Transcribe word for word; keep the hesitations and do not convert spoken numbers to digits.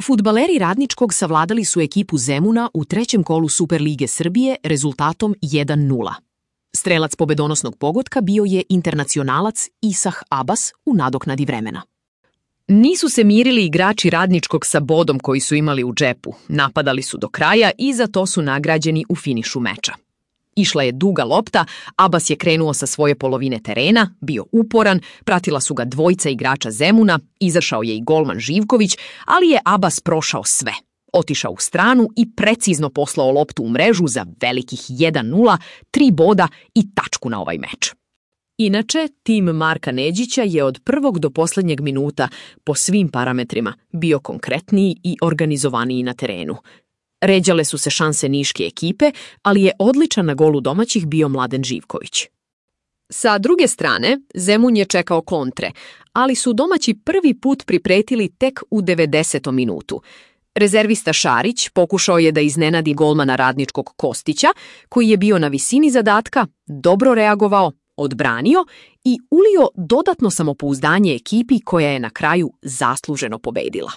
Fudbaleri Radničkog savladali su ekipu Zemuna u trećem kolu Superlige Srbije rezultatom jedan nula. Strelac pobedonosnog pogotka bio je internacionalac Isah Abbas u nadoknadi vremena. Nisu se mirili igrači Radničkog sa bodom koji su imali u džepu. Napadali su do kraja i za to su nagrađeni u finišu meča. Išla je duga lopta, Abbas je krenuo sa svoje polovine terena, bio uporan, pratila su ga dvojica igrača Zemuna, izašao je i golman Živković, ali je Abbas prošao sve. Otišao u stranu i precizno poslao loptu u mrežu za velikih jedan nula, tri boda i tačku na ovaj meč. Inače, tim Marka Neđića je od prvog do posljednjeg minuta po svim parametrima bio konkretniji i organizovaniji na terenu. Ređale su se šanse niške ekipe, ali je odličan na golu domaćih bio Mladen Živković. Sa druge strane, Zemun je čekao kontre, ali su domaći prvi put pripretili tek u devedesetom minutu. Rezervista Šarić pokušao je da iznenadi golmana Radničkog Kostića, koji je bio na visini zadatka, dobro reagovao, odbranio i ulio dodatno samopouzdanje ekipi koja je na kraju zasluženo pobedila.